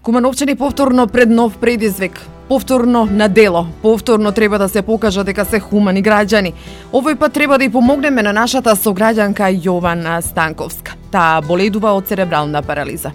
Кумановчани повторно пред нов предизвик, повторно на дело, повторно треба да се покажа дека се хумани граѓани. Овој пат треба да ја помогнеме на нашата сограѓанка Јована Станковска. Таа боледува од церебрална парализа.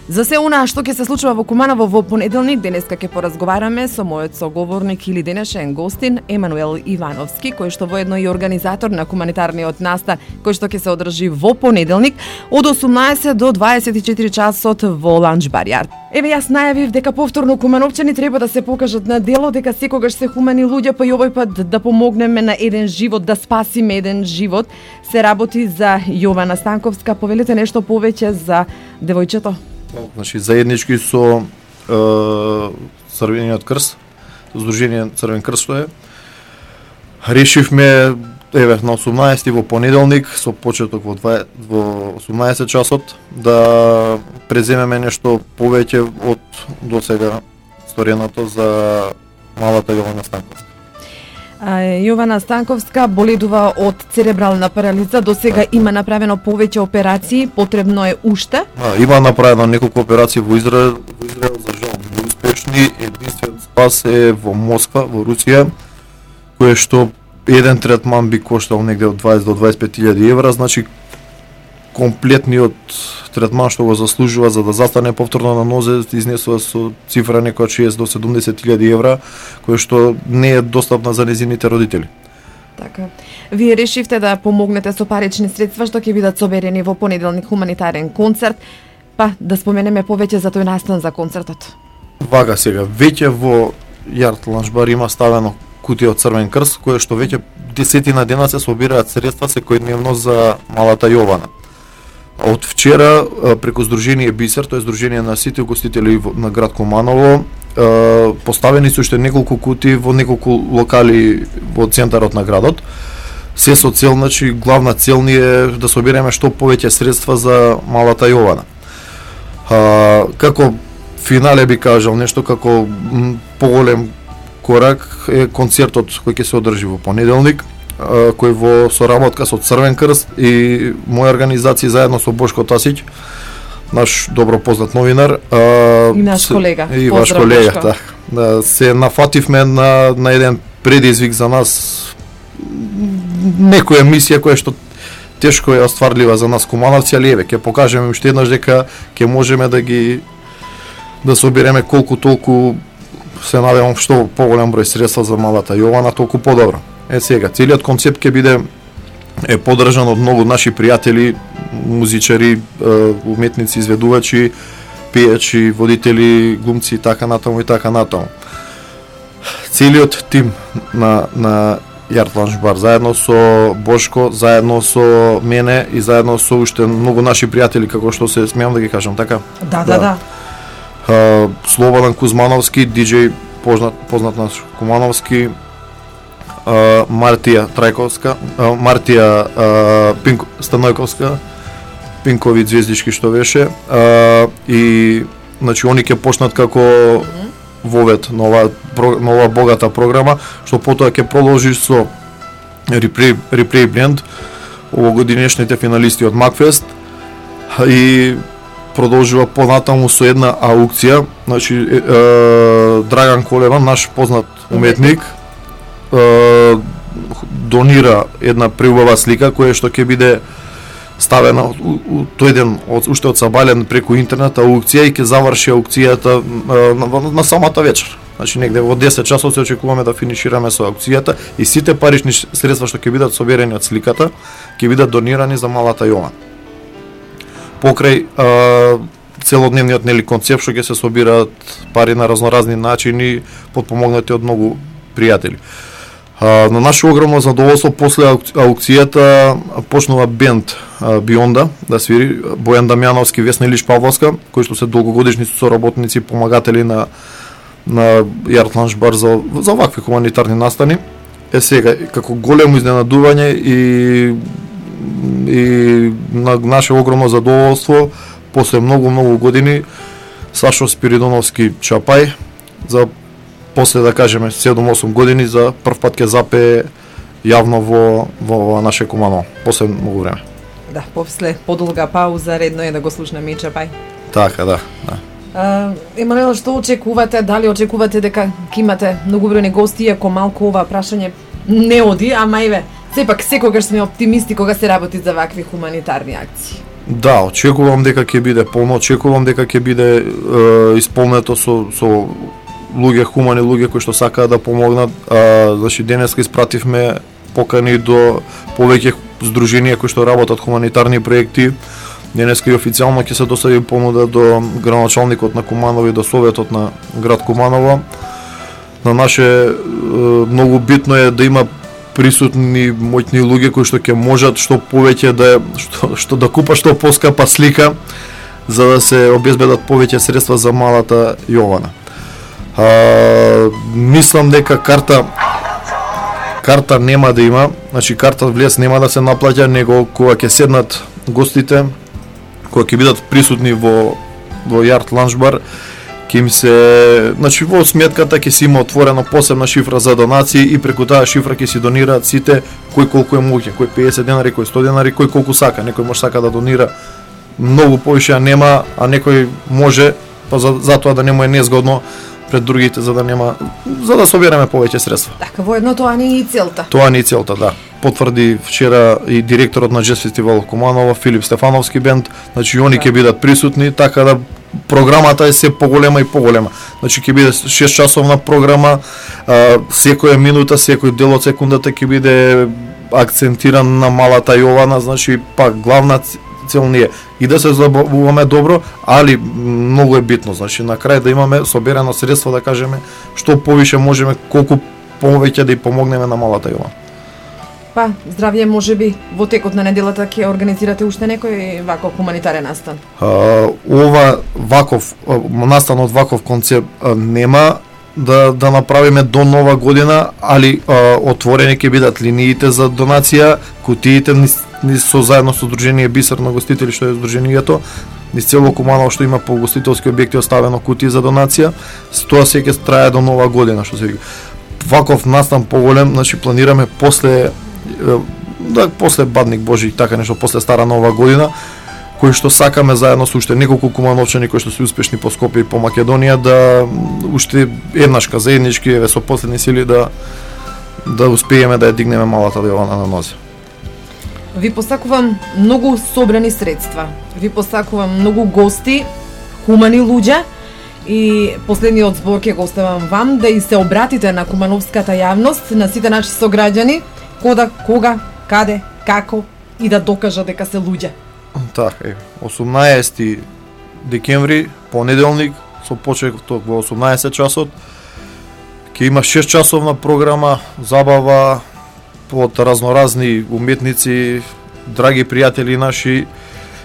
За се она што ќе се случува во Куманово во понеделник, денеска ќе поразговараме со мојот соговорник или денешен гостин Емануел Ивановски, кој што воедно и организатор на хуманитарниот настан, кој што ќе се одржи во понеделник од 18 до 24 часот во Ланч Барјар. Еве јас најавив дека повторно кумановчани треба да се покажат на дело, дека секогаш се хумани луѓе, па и овој пат да помогнеме на еден живот, да спасиме еден живот. Се работи за Јована Станковска. Повелете нешто повеќе за девојчето. Значи, заеднички со Црвениот крст, Сдружение Црвен крст што е, решивме еве на 18 во понеделник со почеток во 18 часот да преземеме нешто повеќе од досега стореното за малата Јована Станковска. Јована Станковска боледува од церебрална парализа. До сега има направено повеќе операции, потребно е уште? Има направено неколку операции во Израел, за жал неуспешни. Единствен спас е во Москва, во Русија, кое што еден третман би коштал негде од 20 до 25.000 евра, значи комплетниот третман што го заслужува за да застане повторно на нозе изнесува со цифра некоја 60 до 70.000 евра, кој што не е достапна за незините родители. Така. Вие решивте да помогнете со парични средства што ќе бидат соберени во понеделник хуманитарен концерт, па да споменеме повеќе за тој настан за концертот. Вака сега, веќе во Јарт Ланчбар има ставено кутија од Црвен крст, кое што веќе десетина дена се собираат средства секојдневно за малата Јована. Од вчера преку Сдружение Бисер, тоа е Сдружение на сите угостители на град Куманово, поставени се уште неколку кути во неколку локали во центарот на градот. Се со цел, значи главна цел ни е да собереме што повеќе средства за малата Јована. Како финале би кажал нешто како поголем корак е концертот кој ќе се одржи во понеделник, кој во соработка со Црвен крст и моја организација заедно со Бошко Тасиќ, наш добро познат новинар, и наш колега. И ваш колега, така. Да, се нафативме на еден предизвик за нас, некоја мисија која што тешко е остварлива за нас кумановци, али еве ќе покажеме уште еднаш дека ќе можеме да собереме колку толку, се надевам што поголем број средства за малата Јована, толку подобро. Сега, целиот концепт ќе биде поддржан од многу наши пријатели, музичари, уметници, изведувачи, пејачи, водители, глумци и така натаму и така натаму. Целиот тим на Јарт Ланчбар, заедно со Бошко, заедно со мене и заедно со уште многу наши пријатели, како што се смеам да ги кажам, така? Да. Слободан Кузмановски, диџеј познат наш Кумановски, Мартија Трајковска, Мартија Станојковска, Пинкови Звездички што беше, и значи они ќе почнат како вовет нова богата програма, што потоа ќе продолжи со Replay Blend, овогодинешните финалисти од Макфест, и продолжува понатаму со една аукција, значи Драган Колева, наш познат уметник, донира една преубава слика која што ќе биде ставена тој ден уште од сабален преку интернет аукција и ќе заврши аукцијата на самата вечер. Значи негде во 10 часот се очекуваме да финишираме со аукцијата и сите парични средства што ќе бидат соберени од сликата ќе бидат донирани за малата Јована. Покрај целодневниот концепт што ќе се собираат пари на разноразни начини, подпомогнати од многу пријатели. На наше огромно задоволство, после аукцијата почнува бенд Бионда да свири, Бојан Дамјановски, Весна Илиш Павловска, кои што се долгогодишни соработници, помагатели на Јарт Ланчбар за вакви хуманитарни настани. Сега, како големо изненадување и на наше огромно задоволство, после многу години, Сашо Спиридоновски Чапај, за после да кажеме 7-8 години за прв пат ќе запее јавно во наше Куманово, после многу време. Да, после подолга пауза редно е да го слушнеме и Чапај. Така, да. Емануел, што очекувате? Дали очекувате дека ќе имате многу бројни гости, иако малку ова прашање не оди, ама еве, сепак секогаш сме оптимисти кога се работи за вакви хуманитарни акции. Да, очекувам дека ќе биде полно, очекувам дека ќе биде исполнето со луѓе, хумани луѓе кои што сакаат да помогнат. Значи денеска испративме покани до повеќе здруженија кои што работат хуманитарни проекти. Денеска и официјално ќе се достави понуда до градоначалникот на Куманово и до Советот на град Куманово. На наше многу битно е да има присутни моćни луѓе кои што ќе можат што повеќе да што да купат што поскапа слика за да се обезбедат повеќе средства за малата Јована. Мислам дека карта нема да има, значи карта влез нема да се наплаќа, него кога ќе седнат гостите, кога ќе бидат присутни во Јарт ланч бар, ќе им се, значи во сметката ќе се има отворена посебна шифра за донации и преку таа шифра ќе си донираат сите кој колку е моќен, кој 50 денари, кој 100 денари, кој колку сака. Некој може сака да донира многу повише, а нема, а некој може па затоа да не му е незгодно пред другите за да собереме повеќе средства. Така, воедно тоа не е и целта. Тоа не е целта, да. Потврди вчера и директорот на Джез фестивал Куманово, Филип Стефановски бенд, значи они ќе бидат присутни, така да програмата е се поголема и поголема. Значи ќе биде 6 часовна програма, секоја минута, секој дел од секундата ќе биде акцентиран на малата Јована, значи пак главна цел не е и да се забавуваме добро, али многу е битно, значи на крај да имаме соберено средство, да кажеме што повише можеме, колку повеќе да ја помогнеме на малата Јована. Па, здравје, можеби во текот на неделата ќе организирате уште некој ваков хуманитарен настан? Ова ваков настан од ваков концепт нема да направиме до нова година, али отворени ќе бидат линиите за донација, кутиите со заедно со Сдружение Бисер на гостители, што е здруженијето, низ цело Куманово што има по гостителски објекти оставено кутии за донација, тоа се ќе трае до нова година, што се вика. Ваков настан поголем, значи планираме после Бадник Божи, така нешто, после Стара Нова година, кои што сакаме заедно со уште неколку кумановчани кои што се успешни по Скопје и по Македонија да уште еднашка заеднички еве со последни сили да успееме да ја дигнеме малата Јована на нозе. Ви посакувам многу собрани средства. Ви посакувам многу гости, хумани луѓе и последниот збор ќе го оставам вам да и се обратите на кумановската јавност, на сите наши сограѓани, кога, каде, како и да докажа дека се луѓе. Така, 18 декември, понеделник, со почеток во 18 часот, ќе има 6 часовна програма, забава од разноразни уметници, драги пријатели наши,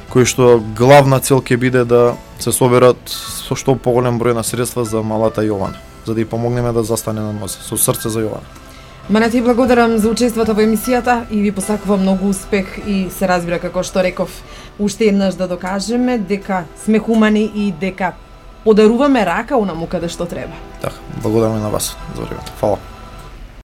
кои што главна цел ќе биде да се соберат со што поголем број на средства за малата Јована, за да ја помогнеме да застане на нозе, со срце за Јована. Мане ти благодарам за учеството во емисијата и ви посакувам многу успех и се разбира, како што реков, уште еднаш да докажеме дека сме хумани и дека подаруваме рака онаму каде што треба. Така, благодарам и на вас за времето. Фала.